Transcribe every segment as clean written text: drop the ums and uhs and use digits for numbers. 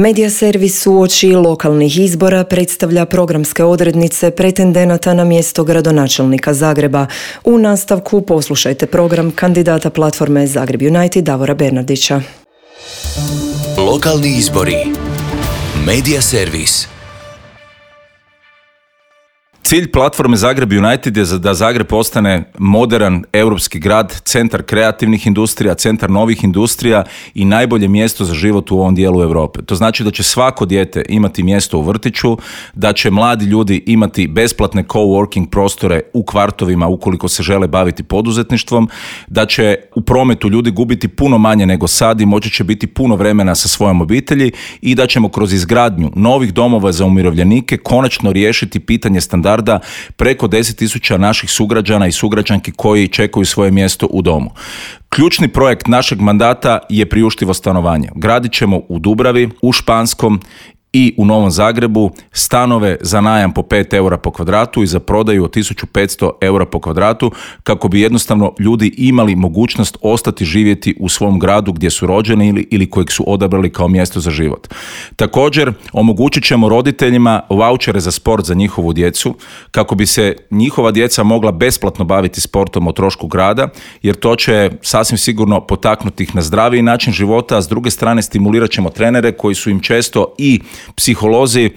Medija servis uoči lokalnih izbora predstavlja programske odrednice pretendenata na mjesto gradonačelnika Zagreba. U nastavku poslušajte program kandidata platforme Zagreb United Davora Bernardića. Lokalni izbori. Medija servis. Cilj platforme Zagreb United je da Zagreb postane moderan europski grad, centar kreativnih industrija, centar novih industrija i najbolje mjesto za život u ovom dijelu Europe. To znači da će svako dijete imati mjesto u vrtiću, da će mladi ljudi imati besplatne coworking prostore u kvartovima ukoliko se žele baviti poduzetništvom, da će u prometu ljudi gubiti puno manje nego sad i moći će biti puno vremena sa svojom obitelji i da ćemo kroz izgradnju novih domova za umirovljenike konačno riješiti pitanje standarda preko 10.000 naših sugrađana i sugrađanki koji čekaju svoje mjesto u domu. Ključni projekt našeg mandata je priuštivo stanovanje. Gradit ćemo u Dubravi, u Španskom i u Novom Zagrebu stanove za najam po 5 eura po kvadratu i za prodaju od 1500 eura po kvadratu kako bi jednostavno ljudi imali mogućnost ostati živjeti u svom gradu gdje su rođeni ili kojeg su odabrali kao mjesto za život. Također omogućit ćemo roditeljima vaučere za sport za njihovu djecu kako bi se njihova djeca mogla besplatno baviti sportom o trošku grada jer to će sasvim sigurno potaknuti ih na zdraviji način života, a s druge strane stimulirat ćemo trenere koji su im često i psiholozi,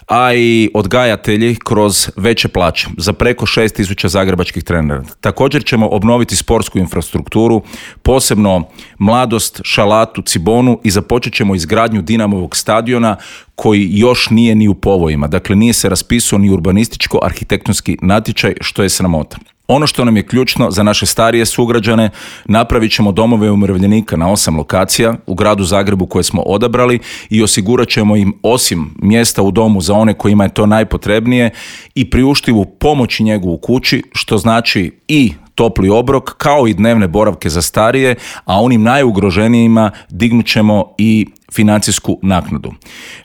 a i odgajatelji kroz veće plaće za preko 6.000 zagrebačkih trenera. Također ćemo obnoviti sportsku infrastrukturu, posebno Mladost, Šalatu, Cibonu i započet ćemo izgradnju Dinamovog stadiona koji još nije ni u povojima. Dakle, nije se raspisao ni urbanističko-arhitektonski natječaj, što je sramota. Ono što nam je ključno za naše starije sugrađane, napravit ćemo domove umirovljenika na 8 lokacija u gradu Zagrebu koje smo odabrali i osigurat ćemo im osim mjesta u domu za one kojima je to najpotrebnije i priuštivu pomoć i njegu u kući, što znači i topli obrok kao i dnevne boravke za starije, a onim najugroženijima dignut ćemo i financijsku naknadu.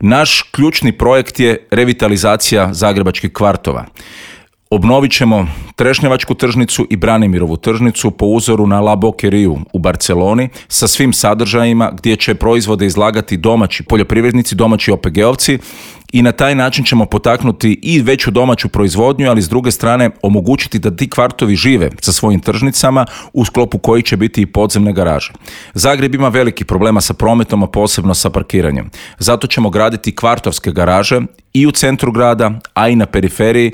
Naš ključni projekt je revitalizacija zagrebačkih kvartova. Obnovit ćemo Trešnjevačku tržnicu i Branimirovu tržnicu po uzoru na La Boqueriju u Barceloni sa svim sadržajima gdje će proizvode izlagati domaći poljoprivrednici, domaći OPG-ovci i na taj način ćemo potaknuti i veću domaću proizvodnju, ali s druge strane omogućiti da ti kvartovi žive sa svojim tržnicama u sklopu kojih će biti i podzemne garaže. Zagreb ima velikih problema sa prometom, a posebno sa parkiranjem. Zato ćemo graditi kvartovske garaže i u centru grada, a i na periferiji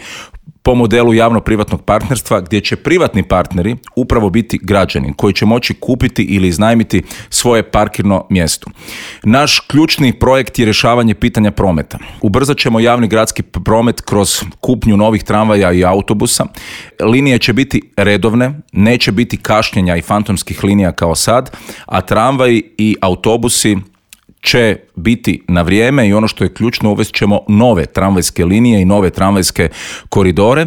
po modelu javno-privatnog partnerstva gdje će privatni partneri upravo biti građani koji će moći kupiti ili iznajmiti svoje parkirno mjesto. Naš ključni projekt je rješavanje pitanja prometa. Ubrzat ćemo javni gradski promet kroz kupnju novih tramvaja i autobusa. Linije će biti redovne, neće biti kašnjenja i fantomskih linija kao sad, a tramvaji i autobusi će biti na vrijeme i ono što je ključno, uvest ćemo nove tramvajske linije i nove tramvajske koridore.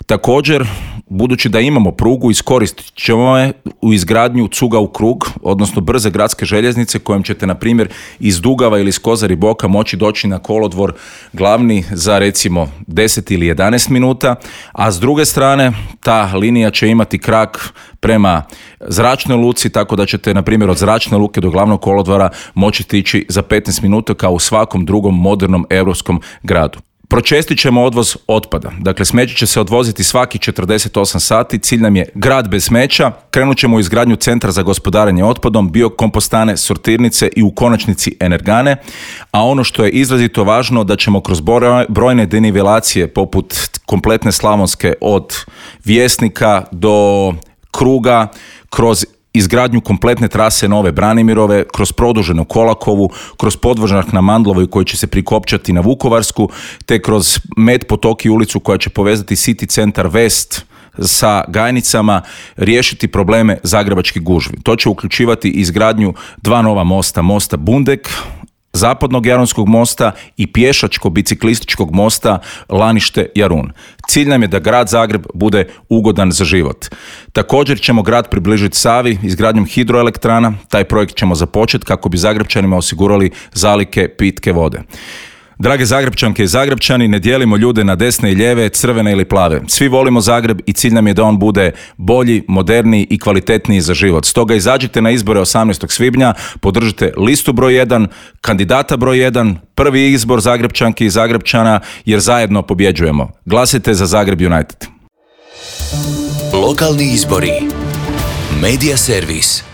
Također, budući da imamo prugu, iskoristit ćemo je u izgradnju cuga u krug, odnosno brze gradske željeznice kojom ćete, na primjer, iz Dugava ili iz Kozari Boka moći doći na kolodvor glavni za recimo 10 ili 11 minuta, a s druge strane ta linija će imati krak prema zračnoj luci, tako da ćete, na primjer, od zračne luke do glavnog kolodvora moći stići za 15 minuta kao u svakom drugom modernom europskom gradu. Pročestit ćemo odvoz otpada. Dakle, smeće će se odvoziti svaki 48 sati. Cilj nam je grad bez smeća. Krenut ćemo u izgradnju centra za gospodarenje otpadom, biokompostane, sortirnice i u konačnici energane. A ono što je izrazito važno, da ćemo kroz brojne denivelacije poput kompletne Slavonske od Vjesnika do Kruga, kroz izgradnju kompletne trase nove Branimirove, kroz produženu Kolakovu, kroz podvožnjak na Mandlovoj koji će se prikopčati na Vukovarsku, te kroz Med potoki ulicu koja će povezati City centar West sa Gajnicama, riješiti probleme zagrebačkih gužvi. To će uključivati izgradnju 2 nova mosta, mosta Bundek, zapadnog Jaronskog mosta i pješačko-biciklističkog mosta Lanište-Jarun. Cilj nam je da grad Zagreb bude ugodan za život. Također ćemo grad približiti Savi izgradnjom hidroelektrana. Taj projekt ćemo započeti kako bi Zagrebčanima osigurali zalihe pitke vode. Drage Zagrebčanke i Zagrebčani, ne dijelimo ljude na desne i lijeve, crvene ili plave. Svi volimo Zagreb i cilj nam je da on bude bolji, moderniji i kvalitetniji za život. Stoga izađite na izbore 18. svibnja, podržite listu broj 1, kandidata broj 1, prvi izbor Zagrebčanki i Zagrebčana, jer zajedno pobjeđujemo. Glasite za Zagreb United. Lokalni izbori. Media servis.